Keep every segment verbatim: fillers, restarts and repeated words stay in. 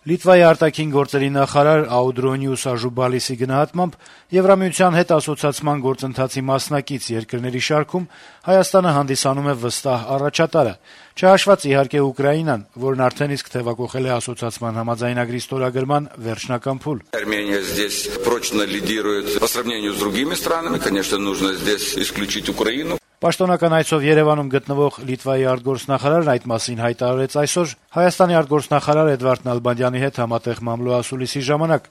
Լիտվայի արտաքին գործերի նախարար Աուդրոնիուս Աժուբալիսի գնահատմամբ Եվրամիության հետ ասոցիացման գործընթացի մասնակից երկրների շարքում Հայաստանը հանդիսանում է վստահ առաջատարը, չհաշված իհարկե Ուկրաինան, որն արդեն իսկ թեւակոխել է ասոցիացման համաձայնագրի ստորագրման վերջնական փուլ։ Армения здесь прочно лидирует по сравнению с другими странами, конечно, нужно здесь исключить Украину. Պաշտոնական այցով Երևանում գտնվող Լիտվայի արտգործնախարարն այդ մասին հայտարարեց այսօր Հայաստանի արտգործնախարար Էդվարդ Նալբանդյանի հետ համատեղ մամլոասուլիսի ժամանակ,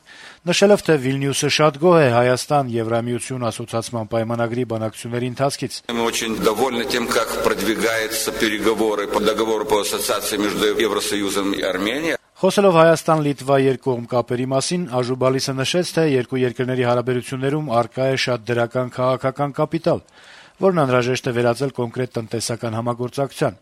նշելով, թե Վիլնյուսը շատ գոհ է Հայաստան-Եվրամիություն ասոցիացման պայմանագրի բանակցությունների ընթացքից։ Мы очень довольны тем, как продвигаются переговоры по договору по ассоциации между Евросоюзом и Арменией. Խոսելով Հայաստան-Լիտվա երկկողմ կապերի մասին, Աժուբալիսը նշեց, թե երկու երկրների հարաբերություններում առկա է շատ դրական քաղաքական կապիտալ, որն անհրաժեշտ է վերածել կոնկրետ տնտեսական համագործակցության։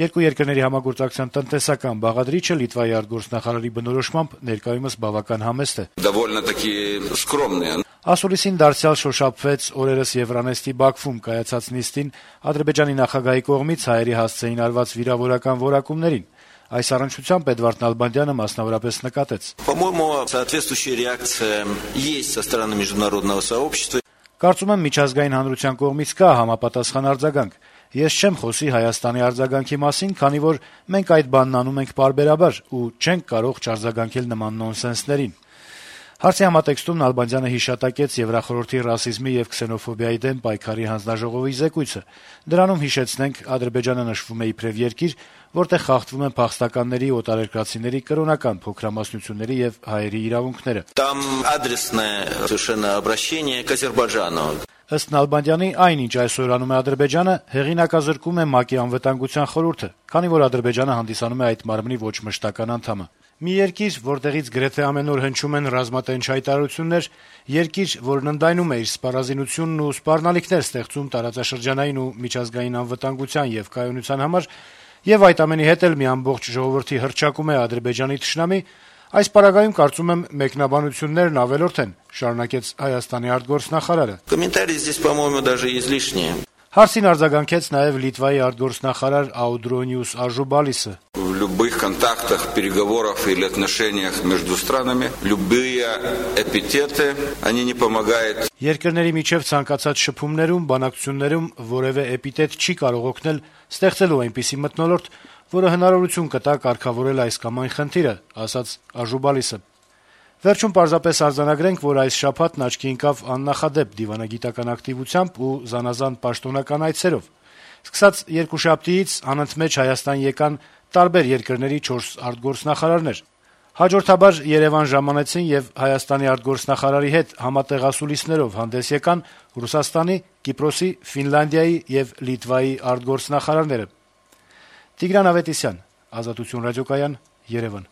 Երկու երկրների համագործակցության տնտեսական բաղադրիչը Լիտվայի արտգործնախարարի բնորոշմամբ ներկայումս բավական համեստ է։ Довольно-таки скромные. Ասուլիսին դարձյալ շոշափվեց օրերս Եվրանեստի Բաքվում կայացած նիստին Ադրբեջանի նախագահի կողմից հայերի հասցեին արված վիրավորական որակումներին։ Այս առնչությամբ Էդվարդ Նալբանդյանը մասնավորապես նկատեց. По-моему, соответствующая реакция есть со стороны международного сообщества. Կարծում եմ միջազգային հանրության կողմից կա համապատասխան արձագանք։ Ես չեմ խոսի Հայաստանի արձագանքի մասին, քանի որ մենք այդ բանն անում ենք պարբերաբար ու չենք կարող չարձագանքել նման նոնսենսներին։ Հարցի համատեքստում Նալբանդյանը հիշատակեց Եվրախորհրդի ռասիզմի եւ քսենոֆոբիայի դեմ պայքարի հանձնաժողովի զեկույցը։ Դրանում հիշեցնենք, Ադրբեջանը նշվում է իբրև երկիր, որտեղ խախտվում են փախստականների, օտարերկրացիների կրոնական փոքրամասնությունների եւ հայերի իրավունքները։ Там адресное совершенно обращение к Азербайджану. Ըստ Նալբանդյանի, այնինչ այսօր անում է Ադրբեջանը, հեղինակազրկում է ՄԱԿ-ի անվտանգության խորհուրդը, քանի որ Ադրբեջանը հանդիսանում է այդ մարմնի ոչ մշտական անդամը։ Մի երկիր, որտեղից գրեթե ամեն օր հնչում են ռազմատենչ հայտարարություններ, երկիր, որն ընդայնում է իր սպառազինությունն ու սպառնալիքներ ստեղծում տարածաշրջանային ու միջազգային անվտանգության եւ կայունության համար, եւ այդ ամենի հետ էլ մի ամբողջ ժողովրդի հռչակում է Ադրբեջանի թշնամի, այս պարագայում կարծում եմ մեկնաբանություններն ավելորդ են, շարունակեց Հայաստանի արտգործնախարարը։ Комментарии здесь, по-моему, даже излишние. Հարցին արձագանքեց նաեւ Լիտվայի արտգործնախարար Աուդրոնիուս Աժուբալիսը։ В любых контактах, переговорах или отношениях между странами любые эпитеты, они не помогают. Երկրների միջև ցանկացած շփումներում, բանակցություններում որևէ էպիտետ չի կարող օգնել ստեղծելու այնպիսի մթնոլորտ, որը հնարավորություն կտա կարգավորել այս կամ այն խնդիրը, ասաց Աժուբալիսը։ Վերջում պարզապես արձանագրենք, որ այս շաբաթն աչքի ընկավ աննախադեպ դիվանագիտական ակտիվությամբ ու զանազան պաշտոնական այցերով։ Սկսած երկուշաբթիից անընդմեջ Հայաստան եկան տարբեր երկրների չորս արտգործնախարարներ։ Հաջորդաբար Երևան ժամանեցին եւ Հայաստանի արտգործնախարարի հետ համատեղ ասուլիսներով հանդես եկան Ռուսաստանի, Կիպրոսի, Ֆինլանդիայի եւ Լիտվայի արտգործնախարարները։ Տիգրան Ավետիսյան, Ազատություն ռադիոկայան, Երևան։